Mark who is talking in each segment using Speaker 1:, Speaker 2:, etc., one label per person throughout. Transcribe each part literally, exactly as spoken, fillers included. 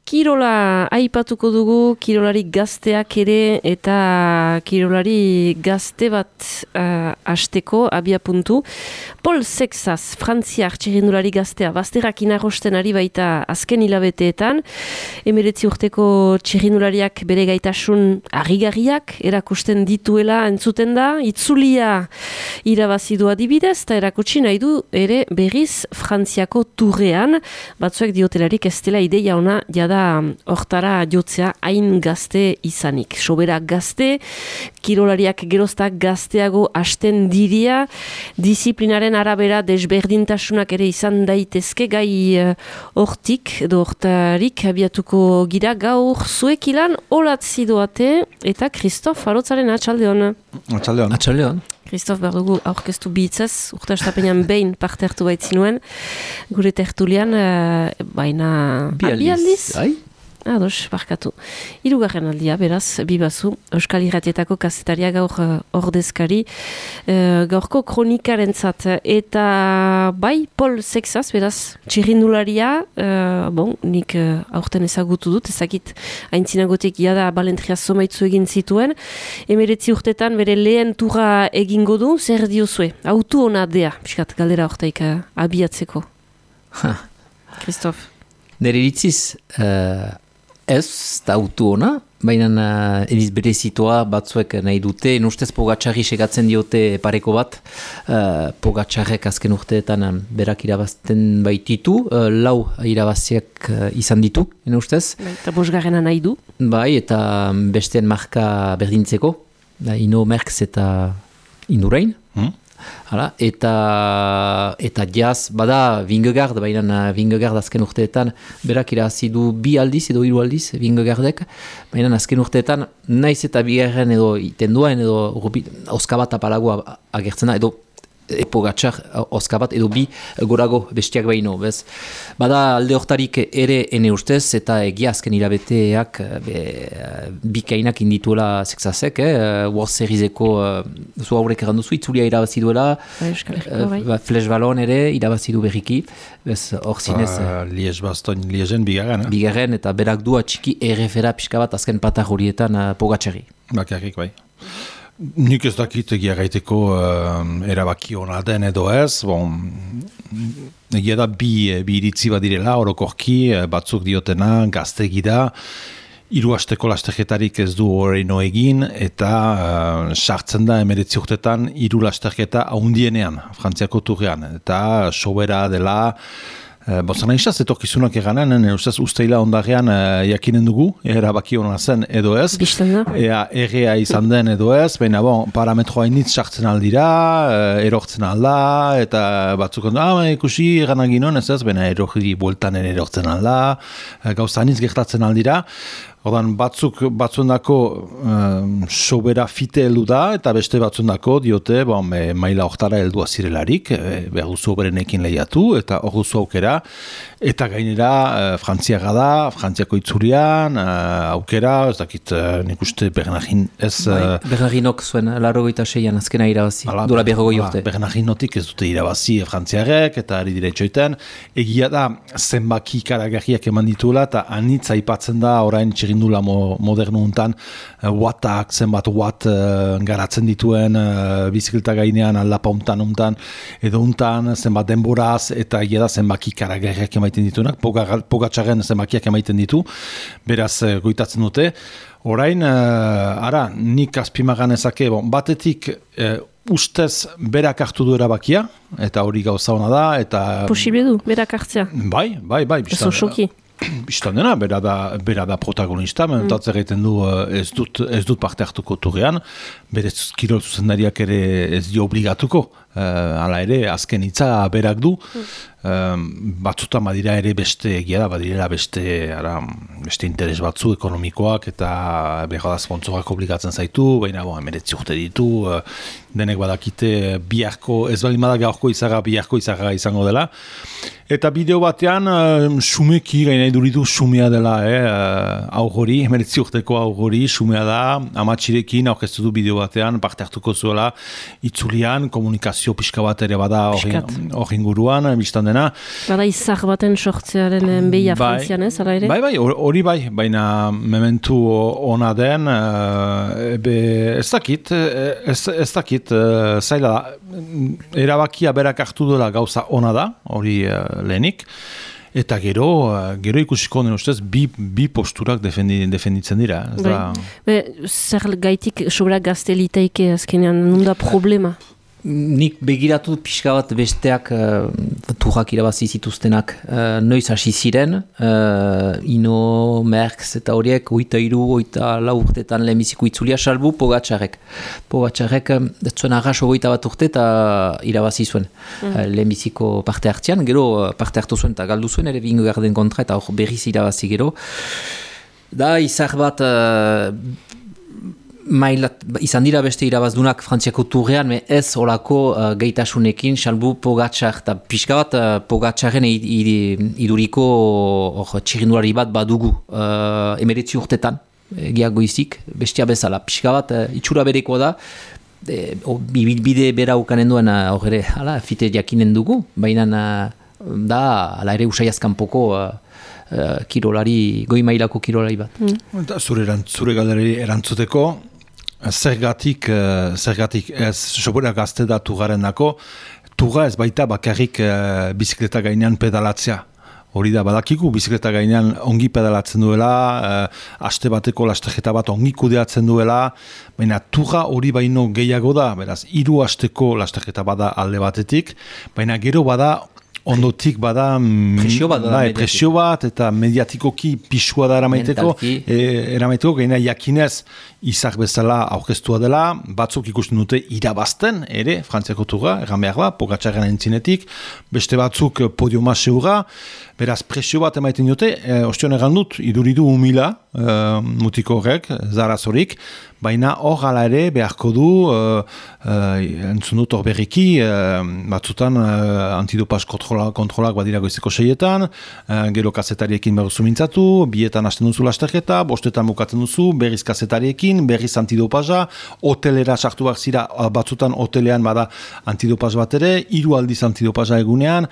Speaker 1: Kirola aipatuko dugu, kirolari gazteak ere eta kirolari gazte bat uh, asteko abia puntu. Paul Sexas, frantziar txirrindulari gaztea, bazterrak inarrosten ari baita azken hilabeteetan. Emeretzi urteko txirrindulariak bere gaitasun harrigarriak erakusten dituela entzuten da. Itzulia irabazidua adibidez, eta erakutsi nahi du ere berriz Frantziako turrean. Batzuek diotelarik ez dela ideia ona jada hortara jotzea hain gazte izanik. Sobera gazte, kirolariak geroztak gazteago hasten diria, disiplinaren arabera desberdintasunak ere izan daitezke gai hortik edo hortarik abiatuko gira gaur zuek ilan olatzi doate eta Kristof Arotzaren atxaldeon.
Speaker 2: Atxaldeon.
Speaker 3: Atxaldeon.
Speaker 1: Kristof behar dugu aurkeztu bihitzaz, urte astapenean behin parte hartu baitzinuen, gure tertulian, uh, baina
Speaker 3: bi aldiz. Bai?
Speaker 1: Ados, barkatu. Hirugarren aldia, beraz, bibazu, Euskal Irratietako kazetaria gaur uh, ordezkari, uh, gaurko kronikarentzat, eta bai, Paul Sexas, beraz, txirrindularia, uh, bon, nik uh, aurten ezagutu dut, ezakit aintzinagotik jada balentria zomaitzu egin zituen, emeretzi urtetan bere lehen turra egingo du, zer diozue, autu hona dea, piskat, galdera hortaik uh, abiatzeko. Kristof.
Speaker 3: Nere iritziz, uh, ez da autu ona, baina uh, ediz bere zitoa batzuek nahi dute, nustez Pogačarri segatzen diote pareko bat, uh, Pogačarrek azken urteetan um, berak irabazten baititu, uh, lau irabaziak uh, izan ditu, nustez.
Speaker 1: Bai, eta bosgarrena nahi du.
Speaker 3: Bai, eta besteen marka berdintzeko, da, Ino Merckx eta Indurain. Hmm? Hala, eta eta jaz, bada Vingegaard, baina Vingegaard azken urteetan berak irabazi du bi aldiz edo hiru aldiz Vingegaardek, baina azken urteetan naiz eta bigarren edo itenduaen edo oskabat apalagoa agertzen da, edo Pogačar oskabat edo bi gorago bestiak baino, bez. Bada alde hortarik ere ene ustez, eta egia azken hilabeteak be, bikainak indituela Sexasek, eh? World Serieseko zu haurek erranduzu, itzulia irabazi duela, uh, Flash Ballon ere irabazi du berriki, bez hor zinez.
Speaker 2: Ba, Liez baston, Liezen bigarren. Eh?
Speaker 3: Bigarren, eta berak du atxiki errefera pixka bat azken patar horietan uh, Pogačarri.
Speaker 2: Bakarrik, bai. Nik ez dakit egia gaiteko uh, erabaki hona den edo ez, bon, egia da bi, bi iritzi badirela, orokorki, batzuk diotena, gaztegi da, hiru asteko lasterketarik ez du horreino egin, eta uh, sartzen da emeretzi urtetan hiru lasterketa haundienean, Frantziako turrean, eta sobera dela, Uh, Bozana izaz, etorkizunak eganen, ustez usteila ondarean uh, jakinen dugu, erabaki hona zen edo ez.
Speaker 1: Bistanda.
Speaker 2: Ea errea izan den edo ez, baina bon, parametroa initz sartzen aldira, uh, erortzen alda, eta batzuk ondo, ah, ikusi eganagin hon ez ez, baina erorri bueltan ere erortzen alda, uh, gauza initz gertatzen aldira. Ordan batzuk batzuendako um, sobera fite heldu da, eta beste batzuendako diote bon, e, maila hortara heldua zirelarik, e, behar duzu oberenekin lehiatu, eta hor duzu aukera, eta gainera e, Frantziaga da, Frantziako itzurian, e, aukera, ez dakit e, nik uste Bernardin ez...
Speaker 3: Bai, Bernardinok zuen, larrogeita seian azkena irabazi, dola berrogoi urte.
Speaker 2: Bernardinotik ez dute irabazi Frantziarek, eta ari dire txoiten, egia da zenbaki karagarriak eman dituela, eta anitz aipatzen da orain txirri dula modernu untan, uh, wattak, zenbat watt uh, garatzen dituen uh, bizikleta gainean, aldapa untan untan, edo untan, zenbat denboraz, eta egia da zenbaki karagarriak emaiten dituenak, Pogačarren zenbakiak emaiten ditu, beraz uh, goitatzen dute. Orain, uh, ara, nik azpimagan ezake, bon, batetik uh, ustez berak hartu du erabakia, eta hori gauza hona da, eta...
Speaker 1: Posible du, berak hartzea.
Speaker 2: Bai, bai, bai.
Speaker 1: Ez osoki.
Speaker 2: Bistan dena, bera da, bera da protagonista, mm. Mentatzer egiten du ez dut, ez dut parte hartuko turrean, bere kirol zuzendariak ere ez dio obligatuko, uh, hala ere, azken hitza berak du, mm. um, batzutan badira ere beste egia da, badirela beste, ara, beste interes batzu ekonomikoak, eta behar da sponsorak obligatzen zaitu, baina bon, emeretzi urte ditu, uh, denek badakite biharko, ez baldin bada gaurko izaga, biharko izaga izango dela, eta bideo batean, uh, sumeki gaina iduritu sumea dela, eh, aurgori, emeretzi urteko aurgori, sumea da, amatxirekin aurkeztu du bideo batean, parte hartuko zuela, itzulian, komunikazio tradizio pixka bat ere bada hor inguruan, biztan dena.
Speaker 1: Bada izar baten sortzearen behia
Speaker 2: bai,
Speaker 1: Frantzian ez, ala ere?
Speaker 2: Bai, bai, hori bai, baina mementu ona den, ebe, ez dakit, ez, ez dakit, zaila da, erabakia berak hartu dela gauza ona da, hori lehenik, eta gero, gero ikusiko den ustez, bi, bi posturak defendi, defenditzen dira. Ez da...
Speaker 1: Be, zer gaitik sobera gazte liteike azkenean, nunda problema?
Speaker 3: Nik begiratu pixka bat besteak uh, turrak irabazi zituztenak uh, noiz hasi ziren, uh, Ino, Merckx eta horiek oita iru, oita lau urtetan lehenbiziko itzulia salbu Pogačarek. Pogačarek ez zuen arras ogoita bat urte eta irabazi zuen mm. uh, lehenbiziko parte hartzean, gero uh, parte hartu zuen eta galdu zuen ere Vingegaarden kontra eta hor berriz irabazi gero. Da izar bat... Uh, Mailat, izan dira beste irabazdunak Frantziako turrean, me ez olako uh, gaitasunekin, salbu Pogačar, eta pixka bat uh, Pogačaren iduriko uh, txirindulari bat badugu uh, emeretzi urtetan, egiago izik, bestia bezala, pixka bat uh, itxura bereko da, e, o, bide bera ukanen duen hor ere, hala, fite jakinen dugu, baina uh, da, ala ere usai azkanpoko uh, uh, kirolari, goi mailako kirolari bat.
Speaker 2: Mm. Zure, zure galerari erantzuteko, Zergatik, zergatik ez sobera gazte da tugaren dako, tuga ez baita bakarrik uh, bizikleta gainean pedalatzea. Hori da, badakigu bizikleta gainean ongi pedalatzen duela, uh, aste bateko lasterketa bat ongi kudeatzen duela, baina tuga hori baino gehiago da, beraz, hiru asteko lasterketa bada alde batetik, baina gero bada ondotik bada
Speaker 3: presio bat,
Speaker 2: da, presio bat eta mediatikoki pisua da eramaiteko, e, eramaiteko gaina jakinez izak bezala aurkeztua dela, batzuk ikusten dute irabazten ere, Frantziako tuga, erran behar da, Pogačaren entzinetik, beste batzuk podiuma seura, beraz presio bat emaiten dute, e, ostion erran dut, iduridu humila, e, mutiko horrek, zarazorik, baina hor gala ere beharko du, uh, uh, entzun dut hor berriki, uh, batzutan uh, antidopaz kontrola, kontrolak badira goizeko seietan, uh, gero kazetariekin behar zumintzatu, bietan hasten duzu lasterketa, bostetan bukatzen duzu, berriz kazetariekin, berriz antidopaza, hotelera sartu behar zira, batzutan hotelean bada antidopaz bat ere, hiru aldiz antidopaza egunean,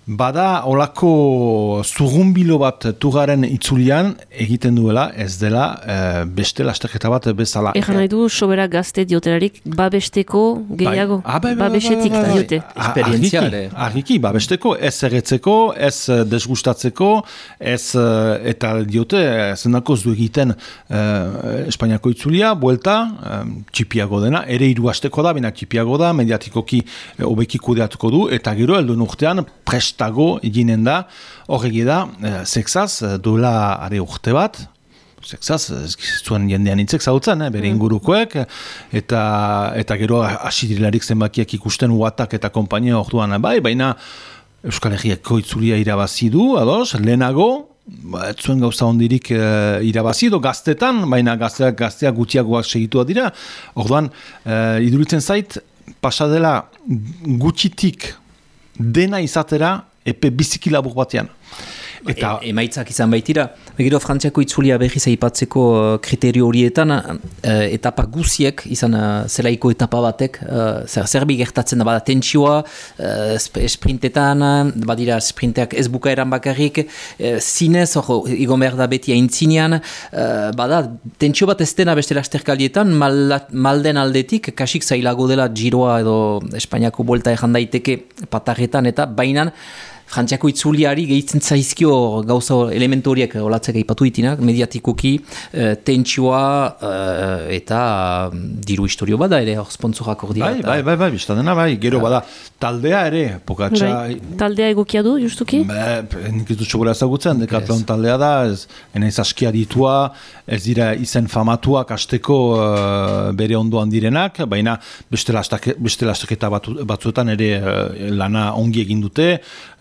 Speaker 2: bada olako zurrumbilo bat tugaren itzulian egiten duela, ez dela e, beste lasterketa bat bezala.
Speaker 1: Egan nahi du, sobera gazte diotelarik, babesteko gehiago,
Speaker 2: bai. ah, bai, bai,
Speaker 1: babesetik
Speaker 2: bai, bai, bai.
Speaker 1: diote.
Speaker 3: Esperientzia ere.
Speaker 2: Argiki, babesteko, ez erretzeko, ez desgustatzeko, ez eta diote, zendako ez du egiten e, Espainiako itzulia, buelta, e, txipiago dena, ere hiru asteko da, bina txipiago da, mediatikoki hobeki kudeatuko du, eta gero helduen urtean prestago eginen da, horregi da, e, sexaz, duela are urte bat, sexaz, zuen jendean intzek zautzen, eh, bere ingurukoek, eta, eta gero asidirilarik zenbakiak ikusten uatak eta kompainia orduan bai, baina Euskal Herriako itzulia irabazi du, ados, lehenago, ba, ez zuen gauza hondirik e, irabazi edo gaztetan, baina gazteak, gazteak gutxiagoak segitua dira, orduan, e, iduritzen zait, pasadela gutxitik dena izatera epe biziki labur batean.
Speaker 3: Eta e, emaitzak izan baitira. Begiro Frantziako itzulia berriz aipatzeko kriterio horietan, uh, etapa guziek, izan uh, zelaiko etapa batek, uh, zer, zerbi gertatzen da bada tentsioa, uh, sprintetan, badira sprinteak ez bukaeran bakarrik, uh, zinez, hor, igon behar da beti aintzinean, uh, bada tentsio bat ez dena beste lasterkaldietan, mal, malden aldetik, kasik zailago dela giroa edo Espainiako buelta erran daiteke patarretan, eta bainan, Frantziako itzuliari gehitzen zaizkio gauza elementu horiek olatzek aipatu ditinak, mediatikoki, e, tentsioa e, eta diru historio bada ere, hor sponsorak hor dira.
Speaker 2: Bai, bai, bai, bai, biztadena, bai, gero bada, taldea ere, Pogača...
Speaker 1: Bai. Taldea egokia du, justuki?
Speaker 2: Ba, nik ez dut txogora ezagutzen, Decathlon yes. Taldea da, ez, enaiz askia ditua, ez dira izen famatuak asteko uh, bere ondoan direnak, baina beste lastaketa batu, batzuetan ere uh, lana ongi egin dute,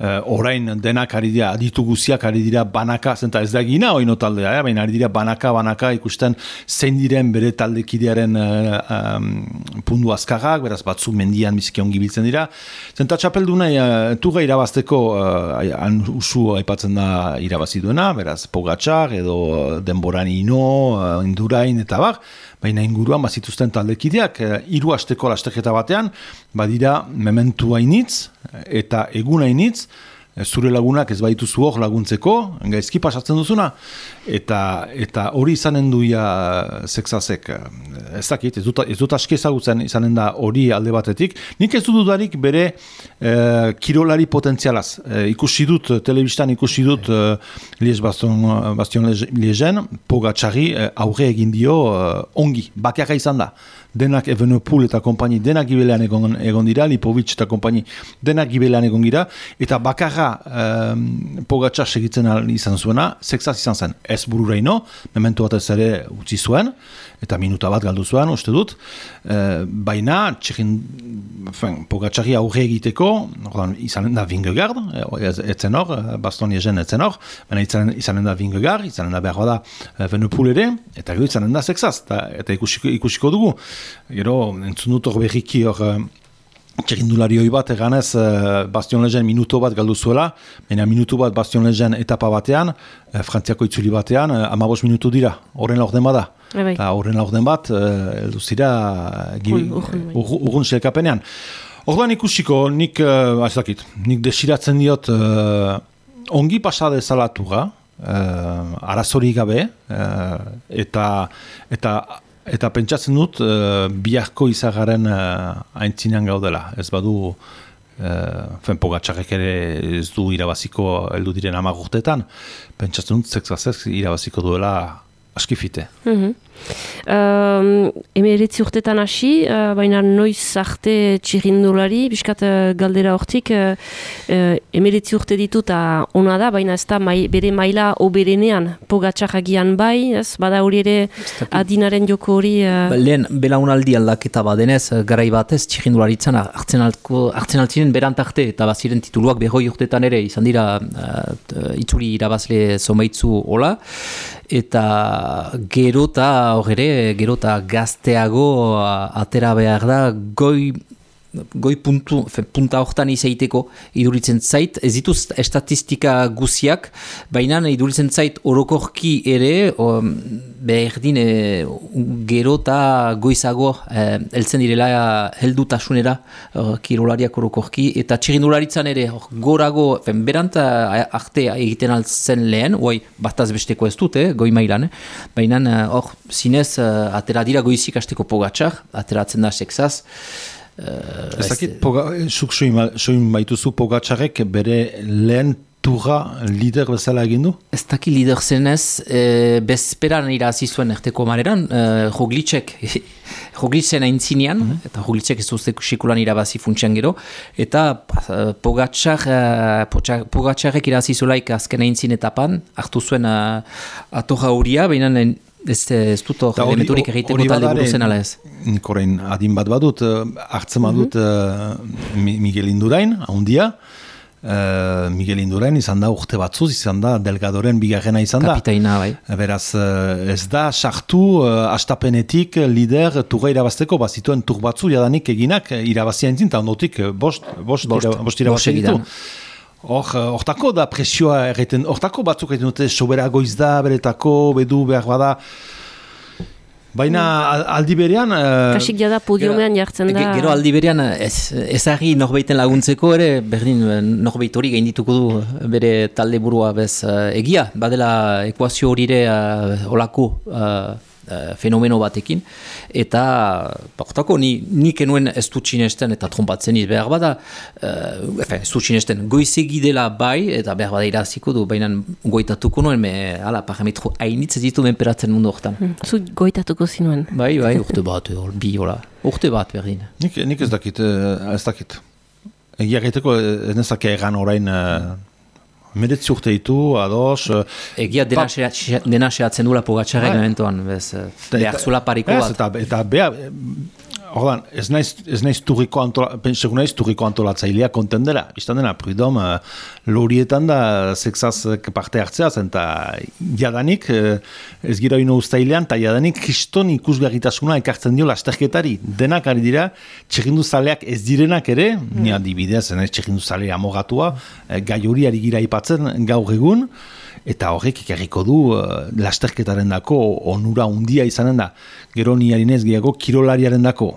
Speaker 2: uh, orain denak ari dira, aditu guziak ari dira banaka, zenta ez da egina oino taldea, eh? Baina ari dira banaka, banaka ikusten zein diren bere taldekidearen uh, um, pundu azkarrak, beraz batzu mendian biziki ongi biltzen dira. Zenta txapelduna uh, tuga irabazteko uh, han usu aipatzen da irabazi duena, beraz Pogačar edo denboran ino, uh, Indurain eta bar, baina inguruan bazituzten taldekideak, hiru asteko lasteketa batean, badira mementu hainitz eta egun hainitz, zure lagunak ez baituzu hor laguntzeko, gaizki pasatzen duzuna, eta eta hori izanen duia Sexasek, ez dakit, ez dut, ez dut aski ezagutzen izanen da hori alde batetik, nik ez dut dudarik bere eh, kirolari potentzialaz, eh, ikusi dut, telebistan ikusi dut eh, Liège Baston, Bastion Liegen, Pogačari eh, aurre egin dio eh, ongi, bakarra izan da. Denak Evenepoel eta kompani denak gibelean egon, egon dira, Lipovic eta kompani denak gibelean egon dira, eta bakarra um, Pogačar segitzen izan zuena, Sexas izan zen, ez bururaino, memento batez ere utzi zuen, eta minuta bat galdu zuen, uste dut, uh, baina txekin, Pogačari aurre egiteko, ordan, izanen da Vingegaard, etzen hor, Baston Liegen etzen hor, baina izanen, izanen da Vingegaard, izanen da behar da Evenepoel ere, eta gero izanen da Sexas, eta, eta ikusiko, ikusiko dugu. Gero, entzun dut hor berriki hor txerindulari hoi bat eganez uh, Bastion Liegen minuto bat galdu zuela, baina minutu bat Bastion Liegen etapa batean, uh, Frantziako itzuli batean, uh, amabos minutu dira, horren laurden bada. Eta horren laurden bat, heldu uh, zira urgun selkapenean. Orduan ikusiko, nik, uh, azakit, nik desiratzen diot uh, ongi pasade zalatura, uh, arazori gabe, uh, eta eta Eta pentsatzen dut, uh, biharko izagaren uh, aintzinean gaudela. Ez badu, uh, Pogačarek ere ez du irabaziko heldu diren hamar urteetan, pentsatzen dut, Sexasek irabaziko duela askifite.
Speaker 1: Mm-hmm. Um, emeretzi urtetan hasi, uh, baina noiz arte txirrindulari, biskat uh, galdera hortik, uh, uh, emeretzi urte ditu eta ona da, baina ez da mai, bere maila oberenean, Pogačar agian bai, ez, bada hori ere adinaren joko hori... Uh...
Speaker 3: Ba, lehen, belaunaldi aldaketa badenez, garai batez txirrindularitzan hartzen altzinen berantarte, eta baziren tituluak berroi urtetan ere, izan dira uh, itzuli irabazle zomaitzu hola, eta gero eta hor ere, gero eta gazteago atera behar da, goi, goi puntu, fe, punta hortan izaiteko iduritzen zait, ez dituz estatistika guziak, baina iduritzen zait orokorki ere, o, berdin e, gero eta goizago e, heltzen direla heldutasunera e, kirolariak orokorki, eta txirindularitzan ere or, gorago, fen, berant arte egiten altzen lehen, oi, bataz besteko ez dut, eh, goi mailan, eh? Baina hor, zinez, atera dira goizik hasteko Pogačar, ateratzen da Sexas. Uh,
Speaker 2: ez dakit, zuk soin baituzu Pogačarek bere lehen turra lider bezala egin du?
Speaker 3: Ez dakit lider zenez, e, bezperan irazi zuen erteko mareran, e, Roglicek, Roglitzen aintzinean, mm -hmm. eta Roglicek ez duzte sekulan irabazi funtsian gero, eta Pogačar, Pogačarek irazi zulaik azken aintzin etapan, hartu zuen uh, atorra horia, baina ez, ez dut hor elementurik egiteko talde buruzen ala ez.
Speaker 2: Nik orain adin bat badut, hartzen badut mm-hmm. uh, Miguel Indurain, ahondia, uh, Miguel Indurain izan da urte batzuz, izan da Delgadoren bigarrena izan da.
Speaker 3: Kapitaina, bai.
Speaker 2: Beraz, uh, ez da sartu uh, astapenetik lider turra irabazteko, bazituen tur batzu jadanik eginak irabazia entzin, eta ondotik bost, bost, bost, ira, bost irabazia ditu. Hor, hortako da presioa erreten, hortako batzuk egiten dute sobera goiz da, beretako, bedu, behar bada. Baina aldi berean...
Speaker 1: Kasik jada podiomean jartzen da...
Speaker 3: Gero aldi berean ez, ezagri norbeiten laguntzeko ere, berdin norbeit hori gaindituko du bere talde burua bez egia. Badela ekuazio hori ere uh, olako... Uh, Uh, fenomeno batekin, eta hortako ni, nik enuen ez dut sinesten eta trompatzen iz behar bada, uh, efe, ez dut sinesten goizegi dela bai, eta behar bada iraziko du, baina goitatuko nuen, me, ala, parametro hainitz ez ditu menperatzen mundu hortan.
Speaker 1: Hmm. Zu goitatuko zinuen?
Speaker 3: Bai, bai, urte bat, bi, hola, urte bat berdin.
Speaker 2: Nik, nik ez dakit, ez dakit. Egia gaiteko ez nezake egan orain... Uh, Meretzi urte ditu, ados...
Speaker 3: Egia dena, ba, xe, dena xeatzen duela Pogačarek momentuan, bez, behar zula pariko bat.
Speaker 2: Eta, eta behar, Ordan, ez naiz, ez naiz turriko antola, pentsegu naiz turriko antolatzailea konten dela. Istan dena, Prudom, uh, lorietan da sexaz parte hartzea zen, eta jadanik, uh, ez gira ino ustailean, eta jadanik kriston ikusgarritasuna ekartzen dio lasterketari. Denak ari dira, txekindu zaleak ez direnak ere, mm. ni adibidez, ez txekindu zalea amogatua, uh, gai hori ari gira ipatzen gaur egun, eta horrek ikarriko du uh, lasterketaren dako onura undia izanen da. Gero ni harinez gehiago kirolariaren dako.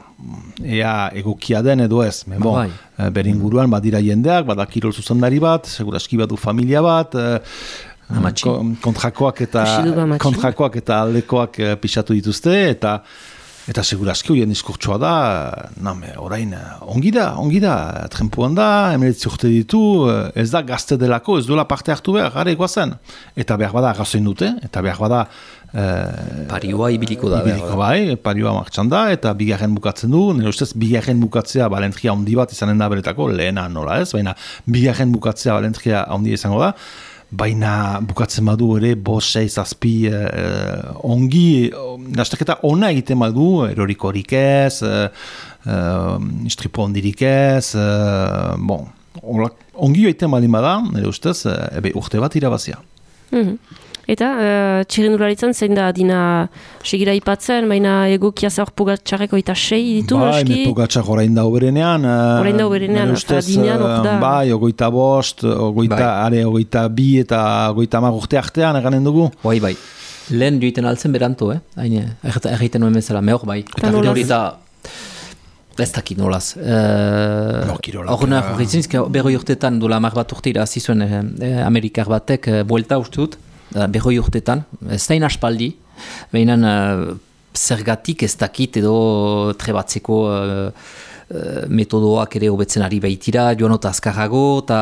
Speaker 2: Ea egokia den edo ez. Men bon,
Speaker 3: bai.
Speaker 2: uh, beringuruan badira jendeak, bada kirol zuzendari bat, seguraski badu familia bat, uh, kontrakoak eta kontrakoak eta aldekoak uh, pixatu dituzte, eta Eta seguraski horien diskurtsoa da, name, orain, ongi da, ongi da, trenpuan da, emeletzi urte ditu, ez da gazte delako, ez duela parte hartu behar, gara egoazen. Eta behar bada arrazoin dute, eta behar bada... Eh,
Speaker 3: parioa ibiliko da.
Speaker 2: Ibiliko bai, parioa martxan da, eta bigarren bukatzen du, nire ustez, bigarren bukatzea balentria handi bat izanen da beretako, lehena nola ez, baina bigarren bukatzea balentria handi izango da, baina bukatzen badu ere bost, sei, zazpi eh, ongi, lasterketa ona egiten badu, erorikorik ez, eh, eh, istripo ondirik ez, eh, bon, ongi egiten baldin bada, nire ustez, eh, ebe urte bat irabazia.
Speaker 1: Mm-hmm. Eta, uh, txirrendularitzen zein da dina segira ipatzen, baina egokia zaur Pogatxarreko eta sei ditu,
Speaker 2: bai,
Speaker 1: noski?
Speaker 2: Bai, Pogatxar orain da uberenean.
Speaker 1: Orain da uberenean, eta dinean hor da.
Speaker 2: Bai, ogoita bost, ogoita, bai. are, ogoita bi eta ogoita mar urte artean eganen dugu.
Speaker 3: Bai, bai. Lehen joiten altzen beranto, eh? Haine, erreiten nuen bezala, mehor bai. Eta hori da... Ez dakit nolaz. Horrena, uh, horretzen, berroi urtetan, dola mar bat urte irazi zuen eh, Amerikar batek, eh, buelta uste dut, berroi urtetan, ez da inaspaldi, behinan uh, zergatik ez dakit edo trebatzeko uh, uh, metodoak ere hobetzen ari baitira, joan ota azkarrago, eta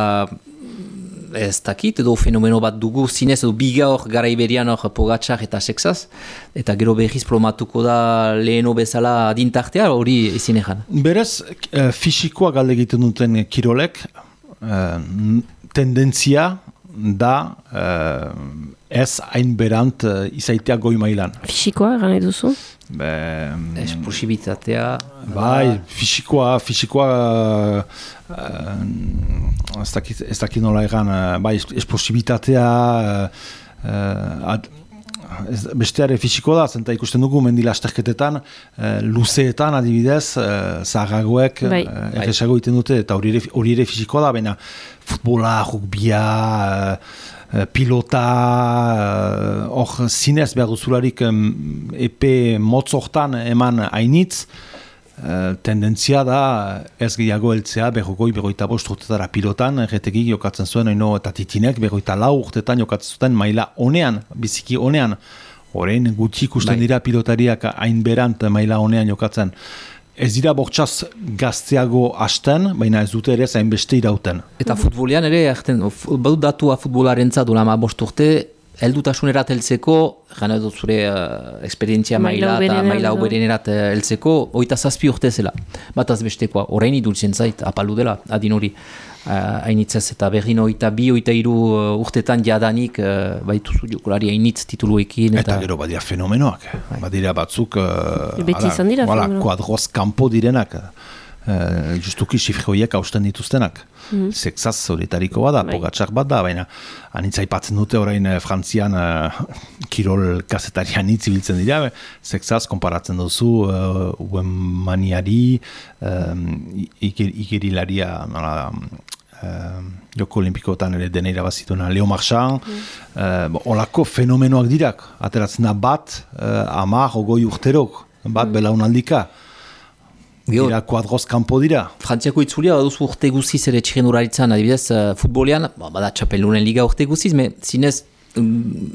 Speaker 3: ez dakit edo fenomeno bat dugu, zinez edo biga hor gara iberian hor Pogatxar eta sexaz, eta gero behiz promatuko da leheno bezala adintartea, hori ezin egan.
Speaker 2: Berez, uh, fisikoa galde egiten duten kirolek, uh, tendentzia da uh, ez hain berant uh, izaitea goi mailan.
Speaker 1: Fisikoa, eran eduzu?
Speaker 3: Be, esplosibitatea.
Speaker 2: Bai, fisikoa, fisikoa uh, ez dakit, ez dakit nola egan, uh, bai, esplosibitatea uh, uh, ad, ez, besteare fisikoa da, zenta ikusten dugu mendilasterketetan, uh, luzeetan adibidez, uh, zaharragoek bai. uh, erresago egiten dute, eta hori ere, hori ere fisikoa da, baina futbola, rugbia, uh, pilota, hor uh, zinez behar duzularik um, epe motzortan eman hainitz, uh, tendentzia da ez gehiago heltzea berrogoi, berroita bost urtetara pilotan, erretegik jokatzen zuen, oino, eta titinek berroita lau urtetan jokatzen zuten maila honean, biziki honean, horrein gutxi ikusten dira pilotariak hain berant maila honean jokatzen. Ez dira bortxaz gazteago hasten, baina ez dute ere zain beste irauten.
Speaker 3: Eta futbolean ere, badu datua futbolaren zadula ma bost urte, heldutasunerat heltzeko, gana dut zure uh, eksperientzia maila eta maila uberenerat heltzeko, oita zazpi urte zela. Bataz bestekoa, orain idultzen zait, apalu dela, adin hori. Hainitzez uh, eta berrin oita bi, oita iru uh, urtetan jadanik uh, baituzu jokolari hainitz tituluekin.
Speaker 2: Eta, eta gero badira fenomenoak, bai. Badira batzuk uh,
Speaker 1: beti izan dira
Speaker 2: fenomenoak. Kuadroz kanpo direnak, uh, justuki sifroiek hausten dituztenak. Mm. Sexaz horietariko bada, bai. Pogatxar bat da, baina anitza ipatzen dute orain uh, Frantzian uh, kirol kazetarian hitz ibiltzen dira, sexaz konparatzen duzu uh, uemaniari, um, ikerilaria, Uh, joko olimpikoetan ere deneira bazituna Leo Marchand, mm. uh, olako fenomenoak dirak, ateratzen da bat, uh, amar, ogoi urterok, bat mm. belaunaldika, dira kuadroz kanpo dira.
Speaker 3: Frantziako itzulia baduzu urte guziz ere txirrendularitzan, adibidez, uh, futbolean, bada txapeldunen liga urte guziz, me zinez um,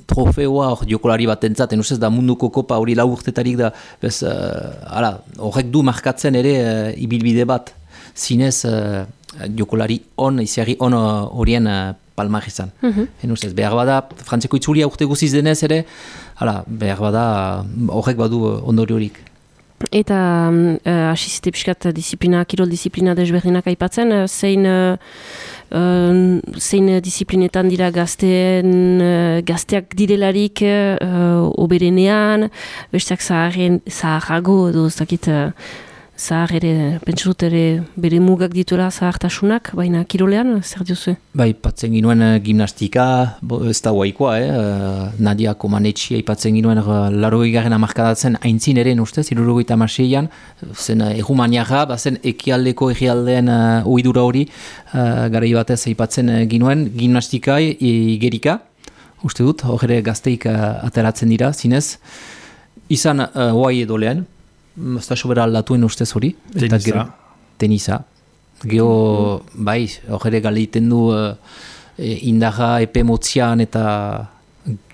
Speaker 3: trofeoa hor jokolari bat entzaten, usez da munduko kopa hori lau urtetarik da, bez, uh, ala, horrek du markatzen ere uh, ibilbide bat, zinez... Uh, jokolari on, iziari on horien uh, palmar izan. Mm-hmm. Ustez, behar bada, Frantziako itzulia urte guziz denez ere, hala, behar bada, horrek badu ondori horik.
Speaker 1: eta uh, asizite piskat disiplina, kirol disiplina desberdinak aipatzen, uh, zein, uh, uh, zein disiplinetan dira gazteen, uh, gazteak direlarik uh, oberenean, besteak zaharren, zaharrago edo ez dakit, uh, zahar ere, pentsatut ere bere mugak dituela zahartasunak, baina kirolean, zer diozu?
Speaker 3: Bai, patzen ginuen uh, gimnastika, bo, ez da guaikoa, eh? uh, Nadia Komanetxia ipatzen ginuen uh, larogei garen amarkadatzen aintzin eren ustez, irurogeita amaseian, zen uh, errumaniaga, bazen ekialdeko egialdeen uh, oidura hori, uh, garai batez ipatzen uh, ginuen, gimnastika e, igerika, uste dut, hor ere gazteik uh, ateratzen dira, zinez, izan uh, oai edo lehen, ez da sobera aldatuen ustez hori.
Speaker 2: Tenisa.
Speaker 3: Tenisa. Geo, bai, hor ere galeiten du uh, indarra epe motzian eta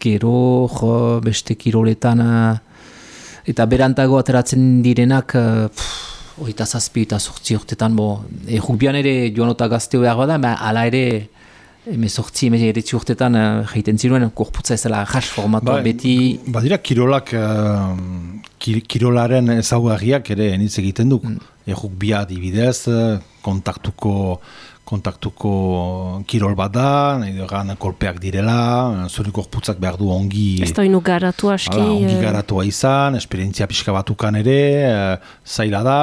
Speaker 3: gero jo, beste kiroletan uh, eta berantago ateratzen direnak uh, oita zazpi eta sortzi urtetan bo, e, rugbian ere joanota gazteo behar bada, ba, ala ere eme sortzi, eme eretzi urtetan uh, jaiten ziruen, korputza ezela jas formatua ba, beti.
Speaker 2: Badira kirolak uh, kirolaren ezaugarriak ere enitz egiten du. Mm. Errugbia adibidez, kontaktuko kontaktuko kirol bat da, nahi dugan kolpeak direla, zure korputzak behar du ongi...
Speaker 1: Ez da ino garatu aski...
Speaker 2: Hala, ongi garatua izan, esperientzia pixka batukan ere, zaila da,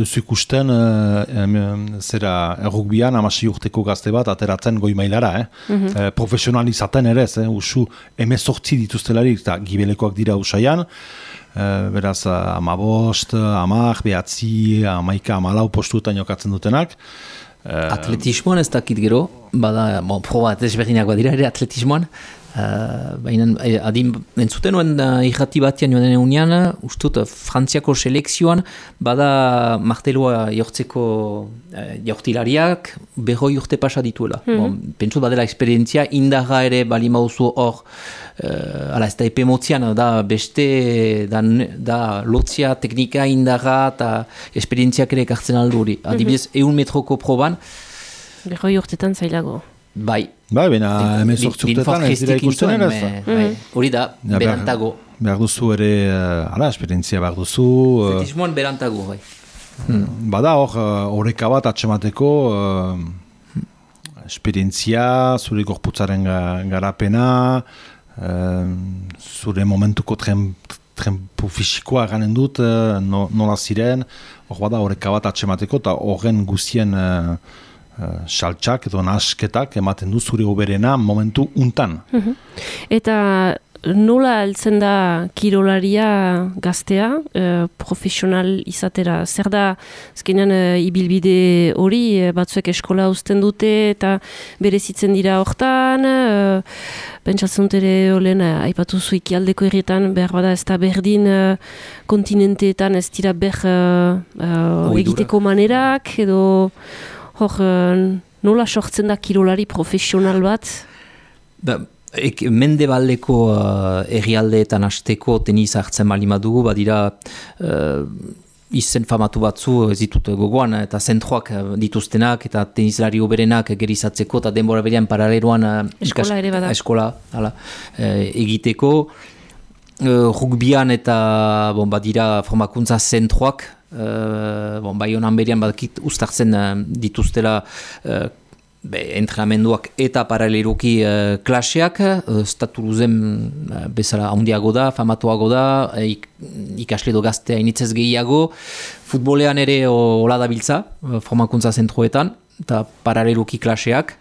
Speaker 2: ez ikusten zera errugbian amasei urteko gazte bat ateratzen goi mailara, eh? Mm-hmm. E, profesionalizaten ere, eh? Usu emezortzi dituztelarik, eta gibelekoak dira usaian, e, beraz amabost, amak, behatzi, amaika, amalau postuetan jokatzen dutenak,
Speaker 3: atletismoan ez dakit gero, bada, bon, proba desberdinak badira ere atletismoan, uh, baina adin entzuten nuen uh, irrati batian joan denen unian, ustut Frantziako selekzioan, bada martelua jortzeko uh, jortilariak, berroi urte pasa dituela. Mm-hmm. Bon, pentsut badela esperientzia, indarra ere bali mauzu hor, Uh, ala ez da epe motzian, da beste da, da lotzia, teknika, indarra eta esperientziak ere ekartzen aldu hori. Adibidez, mm-hmm. eun metroko proban.
Speaker 1: Berroi urtetan zailago.
Speaker 3: Bai.
Speaker 2: Bai, bena hemen sortzi urtetan ez dira ikusten ere ez.
Speaker 3: Hori da, ja, berantago.
Speaker 2: Behar, behar duzu ere, uh, ala, esperientzia behar duzu.
Speaker 3: Atletismoan uh, berantago, bai.
Speaker 2: Hmm. Bada hor, horreka uh, bat atxemateko, uh, esperientzia, zure gorputzaren garapena, Uh, zure momentuko trempu fisikoa ganen dut, uh, no, nola ziren, hor bada horreka bat atxemateko, eta horren guztien uh, uh, saltxak edo nasketak ematen du zure oberena momentu untan.
Speaker 1: Mm-hmm. Eta nola heltzen da kirolaria gaztea, eh, profesional izatera? Zer da, azkenean eh, ibilbide hori, eh, batzuek eskola uzten dute eta berezitzen dira hortan, eh, pentsatzen dut ere olen, eh, aipatu zu ikialdeko herrietan, behar bada ez da berdin eh, kontinenteetan ez dira ber eh, eh, egiteko manerak, edo hor, eh, nola sortzen da kirolari profesional bat?
Speaker 3: Ba, Ek, mendebaldeko uh, errialdeetan hasteko tenis hartzen balima dugu, badira uh, izen famatu batzu ez ditut gogoan, eta zentroak dituztenak, eta tenislari oberenak gerizatzeko, eta denbora berean paraleloan uh,
Speaker 1: eskola ere bada.
Speaker 3: Eskola, hala, uh, egiteko. Uh, rugbian eta bon, badira formakuntza zentroak, uh, bon, bai honan berean badakit ustartzen uh, dituztela uh, Be, entrenamenduak eta paraleluki uh, klaseak, uh, Statuluzen uh, bezala handiago da, famatuago da, uh, ik, ikasle do gaztea initzez gehiago, futbolean ere hola dabiltza, uh, formakuntza zentroetan, eta paraleluki klaseak.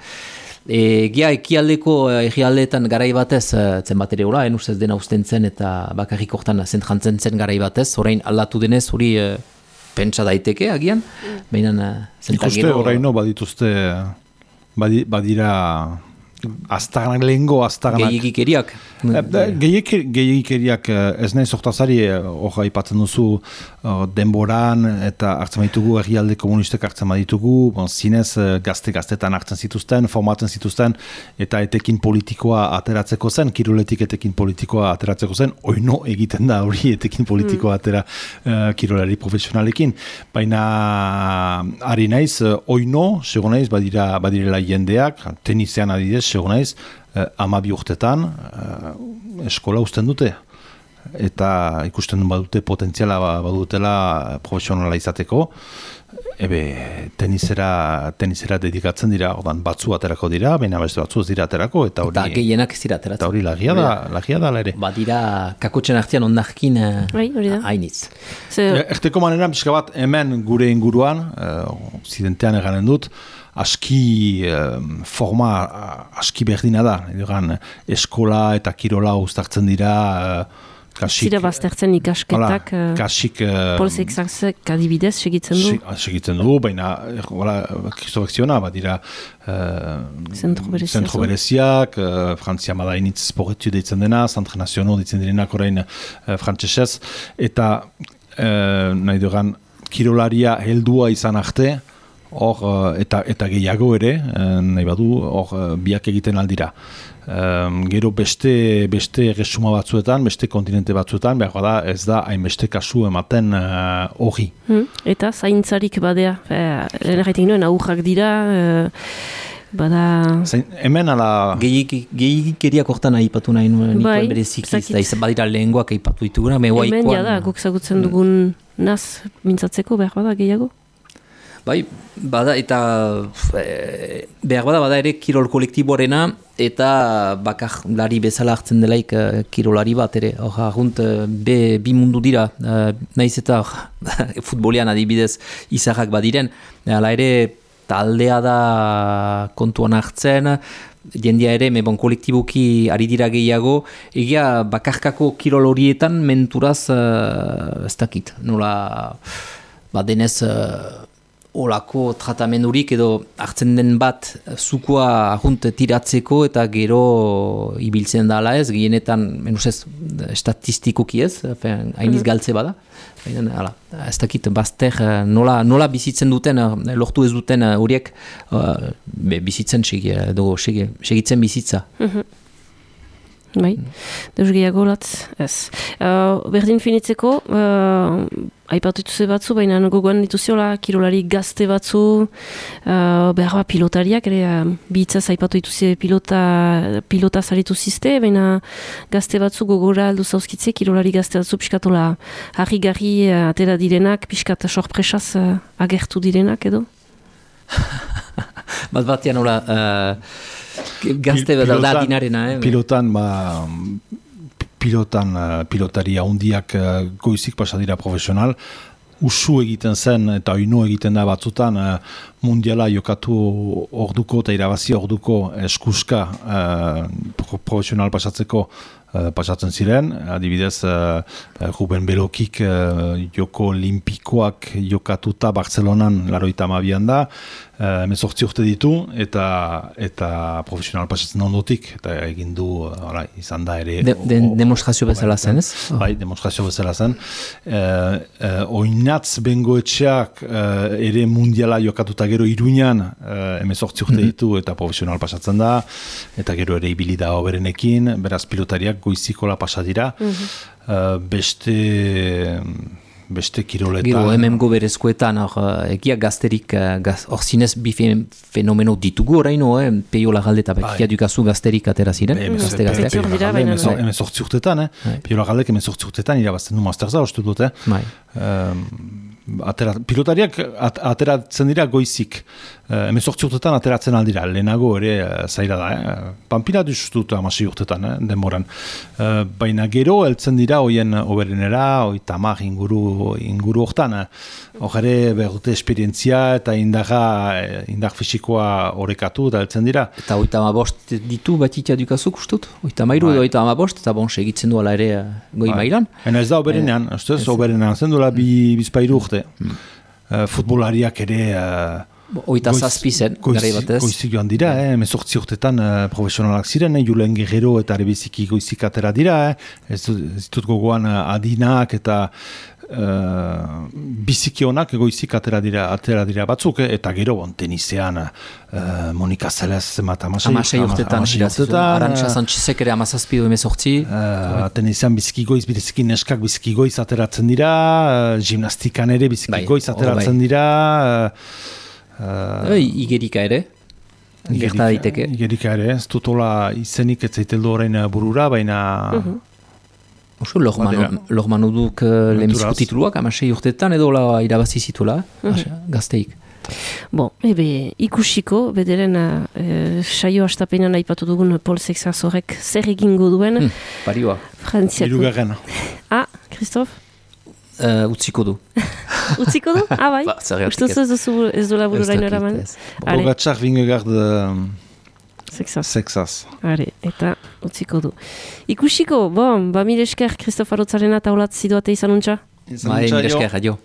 Speaker 3: E, Gia ekialdeko egialdeetan garai batez, uh, zen bat ere hola, en ustez dena usten zen eta bakarrik hortan zentrantzen zen garai batez, orain aldatu denez hori uh, pentsa daiteke agian, mm. behinan uh,
Speaker 2: zentak gero... Ikuste oraino badituzte... Badi, badira aztaganak lehengo, aztaganak...
Speaker 3: Gehiagikeriak.
Speaker 2: Gehiagikeriak ez nahi sortazari, hor aipatzen duzu denboran, eta hartzen baditugu, herrialde komunistek hartzen baditugu, bon, zinez gazte-gaztetan hartzen zituzten, formatzen zituzten, eta etekin politikoa ateratzeko zen, kiroletik etekin politikoa ateratzeko zen, oino egiten da hori etekin politikoa atera uh, kirolari profesionalekin. Baina, ari naiz, oino, sego naiz, badira, badirela jendeak, tenisean adidez, sego naiz, Uh, amabi urtetan uh, eskola uzten dute. eta ikusten badute potentziala badutela profesionala izateko, ebe tenisera, tenisera dedikatzen dira, ordan batzu aterako dira, baina beste batzu ez dira aterako, eta hori...
Speaker 3: Eta gehienak ez dira ateratzen.
Speaker 2: Eta hori lagia da, lagia da ere.
Speaker 3: Ba dira kakotxen artean ondarkin hainitz.
Speaker 2: Erteko manera, pixka bat, hemen gure inguruan, zidentean eganen dut, aski forma aski berdina da, egan, eskola eta kirola uztartzen dira, kasik...
Speaker 1: Zira baztertzen ikasketak,
Speaker 2: kasik...
Speaker 1: Pol Sexasek adibidez segitzen du?
Speaker 2: Segitzen du, baina, Kristofek ziona, bat dira zentro bereziak, Frantzia madainitz sporretu deitzen dena, Centre National deitzen direnak orain frantsesez, eta nahi dugan, kirolaria heldua izan arte, hor, eta, eta gehiago ere, nahi badu, hor, biak egiten aldira. Um, gero beste, beste resuma batzuetan, beste kontinente batzuetan, behar da, ez da hainbeste kasu ematen hori. Uh,
Speaker 1: hmm. Eta zaintzarik badea, lehen erraitik nuen, aurrak dira, uh, bada...
Speaker 2: Zain, hemen ala...
Speaker 3: Gehikeriak hortan ahipatu nahi nuen, bai, nituen berezikiz, da izan badira lehengoak ahipatu dituguna, me
Speaker 1: hemen jada, guk zagutzen dugun naz mintzatzeko, behar bada gehiago?
Speaker 3: Bai, bada, eta e, behar bada, bada ere kirol kolektiboarena, eta bakar lari bezala hartzen delaik uh, kirolari bat ere. Hor, agunt, uh, be, bi mundu dira, uh, nahiz eta futbolean adibidez izarrak badiren, hala ere taldea da kontuan hartzen, jendia ere, me bon kolektiboki ari dira gehiago, egia bakarkako kirol horietan menturaz uh, ez dakit, nola badenez... Uh, olako tratamendurik edo hartzen den bat zukua ahunt tiratzeko eta gero ibiltzen da ala ez, gehienetan menuzez estatistikoki ez, hainiz galtze bada. Hala, ez dakit bazter nola, nola bizitzen duten, lortu ez duten horiek uh, bizitzen segi, edo segi, segitzen bizitza.
Speaker 1: Mm-hmm. Bai, deus gehiago latz, ez. Uh, berdin finitzeko, uh, aipatu dituze batzu, baina gogoan dituziola kirolari gazte batzu, uh, behar bat pilotariak, ere uh, bihitzaz aipatu dituze pilota, pilota zaritu zizte, baina gazte batzu gogora aldu zauzkitze, kirolari gazte batzu piskatola harri-garri uh, atera direnak, piskat sorpresaz uh, agertu direnak edo?
Speaker 3: Bat batean hola... Uh... Gazte bat da dinarena, eh?
Speaker 2: Pilotan, ba, pilotan, pilotaria hundiak goizik pasadira profesional, usu egiten zen eta oinu egiten da batzutan mundiala jokatu orduko eta irabazi orduko eskuska uh, profesional pasatzeko uh, pasatzen ziren, adibidez uh, Ruben Belokik uh, joko olimpikoak jokatuta Barcelonan laroita hamabian da, hemezortzi urte ditu eta eta profesional pasatzen ondotik eta egin du hala izan da ere
Speaker 3: de, de, demonstrazio bezala zen, ez?
Speaker 2: Bai, demonstrazio bezala zen. E, e, oinatz bengoetxeak e, ere mundiala jokatuta gero Iruñan hemezortzi urte ditu eta profesional pasatzen da eta gero ere ibili da oberenekin, beraz pilotariak goizikola pasa dira. Mm-hmm. e, beste beste kiroletan.
Speaker 3: Gero, hemen goberezkoetan, egia gazterik, gaz, or zinez bi fenomeno ditugu oraino, eh? Peio Lagalde eta Bekia dukazu gazterik atera ziren,
Speaker 2: Be,
Speaker 3: gazte gazteak.
Speaker 2: Peio Lagalde, hemen sortzi urtetan, eh? Peio Lagalde, hemen sortzi urtetan, irabazten du masterza, ostu dut, eh?
Speaker 3: Bai.
Speaker 2: Um, atera, pilotariak at, ateratzen dira goizik. Uh, hemen sortzi urtetan ateratzen aldira, lehenago ere uh, zaila da, eh? Pampina duztut amasi urtetan, eh? Denboran. Uh, baina gero, heltzen dira, hoien oberenera, hoi tamar inguru, inguru hortan. Hor ere, behute esperientzia eta indarra, indar fisikoa horrekatu eta heltzen dira.
Speaker 3: Eta hoita amabost ditu batitia dukazuk ustut? Hoita mairu edo hoita amabost, eta bon, segitzen duela ere goi mailan.
Speaker 2: Ena ez da oberenean, ez da, oberenean zen duela bi bizpairu urte. Hmm. Uh, futbolariak ere... Uh,
Speaker 3: Oita zazpi zen, gari batez.
Speaker 2: Goizik joan dira, eh? Mezortzi urtetan uh, profesionalak ziren, eh? Julen Guerrero eta rebeziki goizik atera dira, eh? Ez ditut gogoan uh, adinak eta uh, biziki honak goizik atera dira, atera dira batzuk, eh? Eta gero bon, tenisean uh, Monika Zelez zemat amasei.
Speaker 3: Amasei urtetan, Arantxa Sanchizek ere amazazpi du emezortzi.
Speaker 2: Uh, tenisean biziki goiz, biziki neskak biziki goiz ateratzen dira, uh, gimnastikan ere biziki bai, goiz ateratzen bai. dira, uh,
Speaker 3: Uh, igerika ere, gerta daiteke.
Speaker 2: Igerika ere, ez dutola izenik ez zaiteldu orain burura, baina... Uh-huh.
Speaker 3: Oso, lorman uduk uh, lehenbiziko tituluak, amasei urtetan edo la irabazi zituela, mm-hmm. gazteik.
Speaker 1: Bon, ebe, ikusiko, bederen uh, saio astapenean aipatu dugun Paul Sexas horrek zer egingo duen.
Speaker 3: Hmm, parioa.
Speaker 1: Frantziako.
Speaker 2: Irugarrena.
Speaker 1: Ah, Christophe?
Speaker 3: Uh, utziko du.
Speaker 1: Utziko du? Ah, bai?
Speaker 3: Ba,
Speaker 1: Ustuz ez duzu ez du labururain eraman?
Speaker 2: Pogacar Vingegaard
Speaker 1: Sexas.
Speaker 2: Sexas.
Speaker 1: Are, eta utziko du. Ikusiko, bon, ba mire esker, Christophe Arotzarena taulat ziduate izan untxa?
Speaker 3: Bai, mire esker, adio.